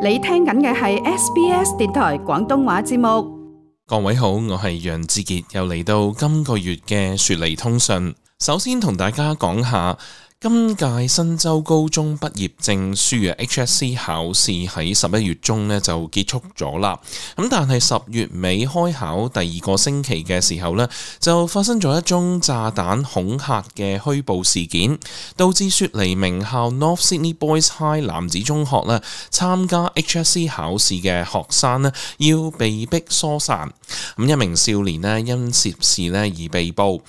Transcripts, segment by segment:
你聽緊嘅係 SBS 電台廣東話節目。各位好，我係楊志傑，又嚟到今個月嘅雪梨通訊。首先同大家講下今屆新州高中畢業證書嘅 HSC 考試喺11月中呢就結束咗啦。咁但係10月尾開考第二個星期嘅時候呢，就發生咗一宗炸彈恐嚇嘅虛報事件，導致雪梨名校 North Sydney Boys High 男子中學呢參加 HSC 考試嘅學生呢要被逼疏散。咁一名少年呢因涉事呢而被捕。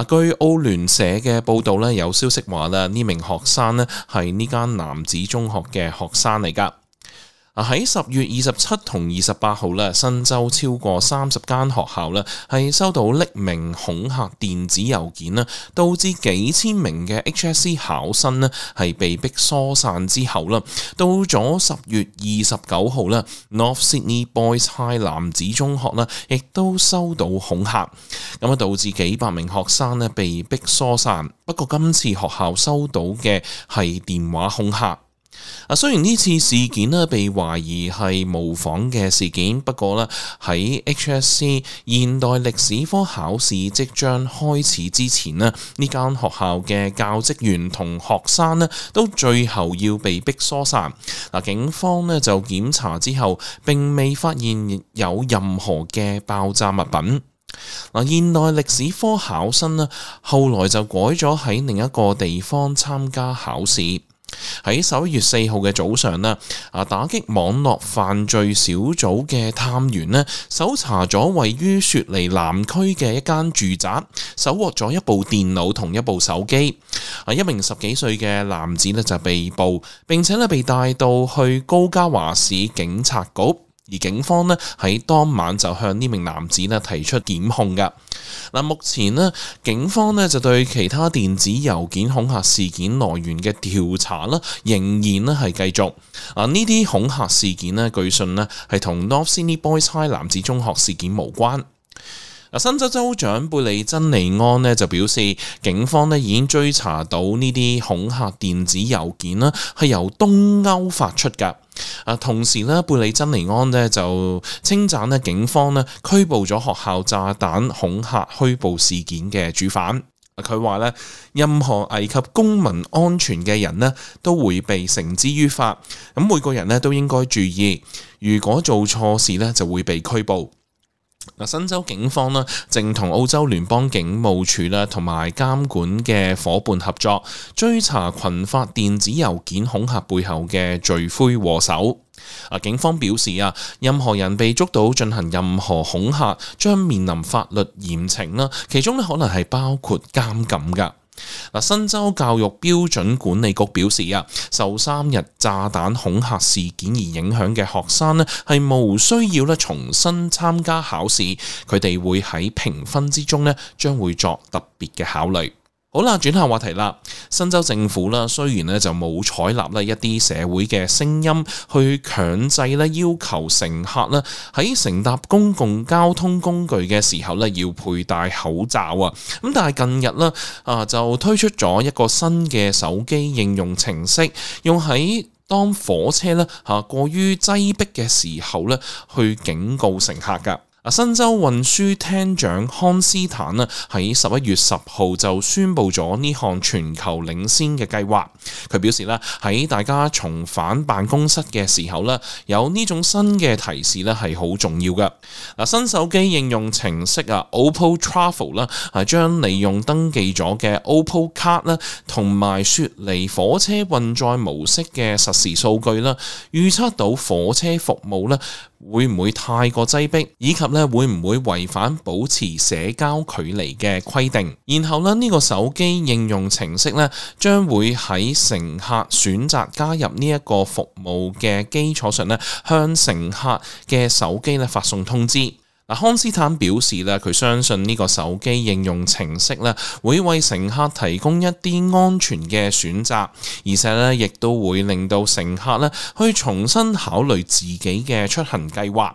據澳聯社嘅報道呢，有消息話呢名學生呢係呢間男子中學嘅學生嚟㗎。喺10月27同28號呢，新州超過30間學校呢係收到匿名恐嚇電子郵件啦，導致幾千名嘅 HSC 考生呢係被逼疏散之後啦，到咗10月29號呢 North Sydney Boys High 男子中學呢亦都收到恐嚇，咁導致幾百名學生呢被逼疏散。不過今次學校收到嘅係電話恐嚇。雖然呢次事件呢被懷疑係模仿嘅事件，不過呢喺 HSC 現代歷史科考試即將開始之前呢間學校嘅教職員同學生呢都最後要被逼疏散。警方呢就檢查之後並未發現有任何嘅爆炸物品。現代歷史科考生呢後來就改咗喺另一個地方參加考試。喺11月4號嘅早上呢，打擊網絡犯罪小組嘅探員呢搜查咗位於雪梨南區嘅一間住宅，搜獲咗一部電腦同一部手機。一名10幾歲嘅男子呢就被捕，並且呢被帶到去高加華市警察局。而警方呢喺當晚就向呢名男子呢提出檢控㗎。目前呢警方呢就對其他電子郵件恐嚇事件來源嘅調查呢仍然呢係繼續。呢啲恐嚇事件呢據信呢係同 North Sydney Boys High 男子中學事件無關。新州州長貝利珍尼安呢就表示，警方呢已經追查到呢啲恐嚇電子郵件呢係由東歐發出㗎。同時呢，貝利珍尼安呢就稱讚呢警方呢拘捕咗學校炸彈恐嚇虛報事件嘅主犯。佢話呢，任何危及公民安全嘅人呢都會被繩之於法。咁每個人呢都應該注意，如果做錯事呢就會被拘捕。新州警方呢正同澳洲聯邦警務處啦同埋監管嘅夥伴合作，追查群發電子郵件恐嚇背後嘅罪魁禍首。警方表示任何人被捉到進行任何恐嚇，將面臨法律嚴懲啦，其中可能係包括監禁㗎。新州教育標準管理局表示受3日炸彈恐嚇事件而影響嘅學生呢係無需要重新參加考試，佢哋會喺評分之中呢將會作特別嘅考慮。好啦，轉下話題啦。新州政府啦，雖然呢就冇採納呢一啲社會嘅聲音，去強制呢要求乘客呢喺乘搭公共交通工具嘅時候呢要佩戴口罩啊。咁但係近日呢就推出咗一個新嘅手機應用程式，用喺當火車呢過於擠迫嘅時候呢去警告乘客㗎。新州運輸廳長康斯坦喺11月10號就宣布咗呢項全球領先嘅計劃。佢表示喺大家重返辦公室嘅時候有呢種新嘅提示係好重要嘅。新手機應用程式Opal Travel 係將利用登記咗嘅 Opal Card 同埋雪梨火車運載模式嘅實時數據預測到火車服務會唔會太過擠迫，以及會唔會違反保持社交距離嘅規定。然後呢個手機應用程式將會喺乘客選擇加入呢一個服務嘅基礎上向乘客嘅手機發送通知。康斯坦表示佢相信呢個手機應用程式會為乘客提供一啲安全嘅選擇，而且亦都會令到乘客去重新考慮自己嘅出行計劃。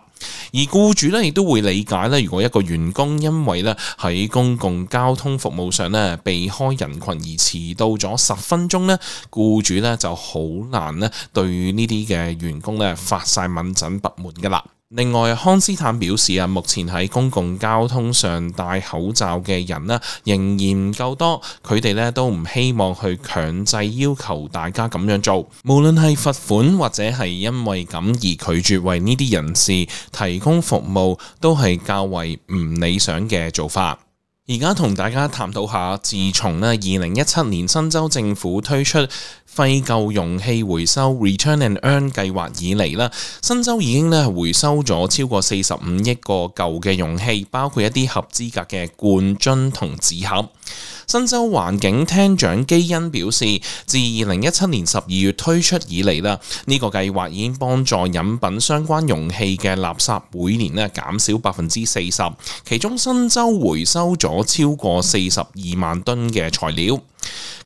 而僱主咧亦都會理解咧，如果一個員工因為咧喺公共交通服務上咧避開人群而遲到咗10分鐘咧，僱主咧就好難咧對呢啲嘅員工咧發晒敏疹不滿噶啦。另外，康斯坦表示啊，目前喺公共交通上戴口罩嘅人呢，仍然唔夠多，佢哋咧都唔希望去強制要求大家咁樣做，無論係罰款或者係因為咁而拒絕為呢啲人士提供服務，都係較為唔理想嘅做法。而家同大家探討下，自從咧2017年新州政府推出廢舊容器回收 Return and Earn 計劃以嚟啦，新州已經咧回收咗超過45億個舊嘅容器，包括一啲合資格嘅罐樽同紙盒。新州環境廳長基恩表示，自2017年12月推出以嚟啦，呢個計劃已經幫助飲品相關容器嘅垃圾每年咧減少40%，其中新州回收咗超過42萬噸嘅材料。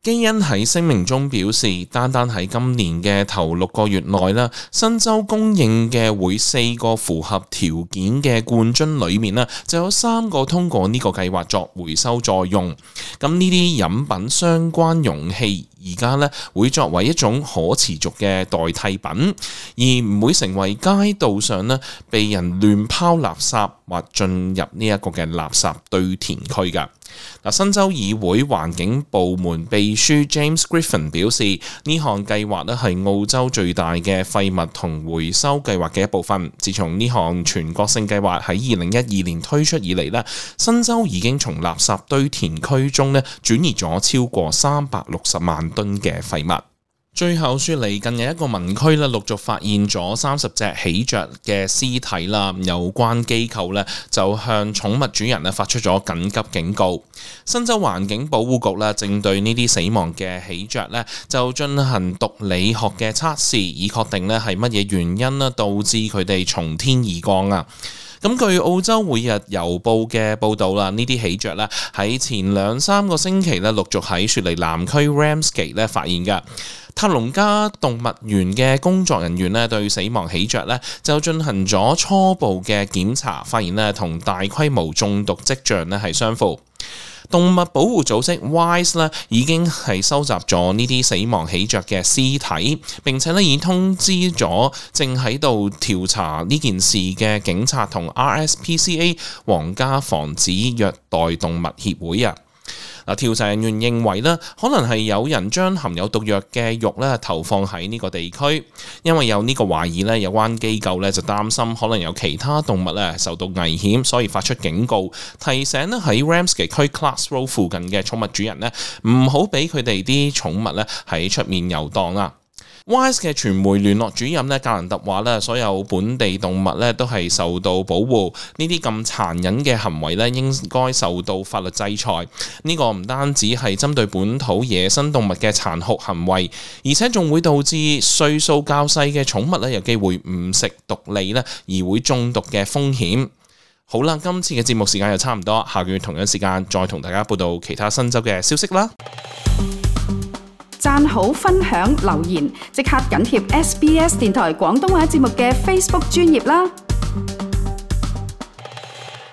基恩喺聲明中表示，單單喺今年嘅頭6個月內啦，新州供應嘅每4個符合條件嘅罐樽裏面啦，就有3個通過呢個計劃作回收再用。咁呢啲飲品相關容器而家咧會作為一種可持續嘅代替品，而唔會成為街道上咧被人亂拋垃圾或進入呢一個嘅垃圾堆填區㗎。新州議會環境部門秘書 James Griffin 表示，呢項計劃咧係澳洲最大嘅廢物同回收計劃嘅一部分。自從呢項全國性計劃喺2012年推出以嚟咧，新州已經從垃圾堆填區中咧轉移咗超過360萬噸嘅廢物。最後，雪梨近日一個民區咧陸續發現咗30隻喜鵲嘅屍體啦，有關機構咧就向寵物主人咧發出咗緊急警告。新州環境保護局咧正對呢啲死亡嘅喜鵲咧就進行毒理學嘅測試，以確定咧係乜嘢原因咧導致佢哋從天而降啊。咁據澳洲每日郵報嘅報導啦，呢啲喜鵲咧喺前2-3個星期咧陸續喺雪梨南區 Ramsgate 咧發現嘅。塔隆加動物園嘅工作人員咧對死亡喜鵲咧就進行咗初步嘅檢查，發現咧同大規模中毒跡象咧係相符。動物保護組織 WISE 咧已經係收集咗呢啲死亡喜鵲嘅屍體，並且咧已經通知咗正喺度調查呢件事嘅警察同 RSPCA 皇家防止虐待動物協會啊。調查人員認為咧，可能係有人將含有毒藥嘅肉咧投放喺呢個地區，因為有呢個懷疑咧，有關機構咧就擔心可能有其他動物咧受到危險，所以發出警告，提醒咧喺 Ramsgate 區 Clarks Road 附近嘅寵物主人咧唔好俾佢哋啲寵物咧喺出面遊蕩啊。WISE 嘅傳媒聯絡主任咧格蘭特話咧，所有本地動物咧都係受到保護，呢啲咁殘忍嘅行為咧應該受到法律制裁。呢個唔單止係針對本土野生動物嘅殘酷行為，而且仲會導致歲數較細嘅寵物咧有機會誤食毒餌咧而會中毒嘅風險。好啦，今次嘅節目時間又差唔多，下個月同樣時間再同大家報道其他新州嘅消息啦。讚好、分享、留言，即刻緊貼SBS 電台廣東話節目嘅 Facebook 專頁啦！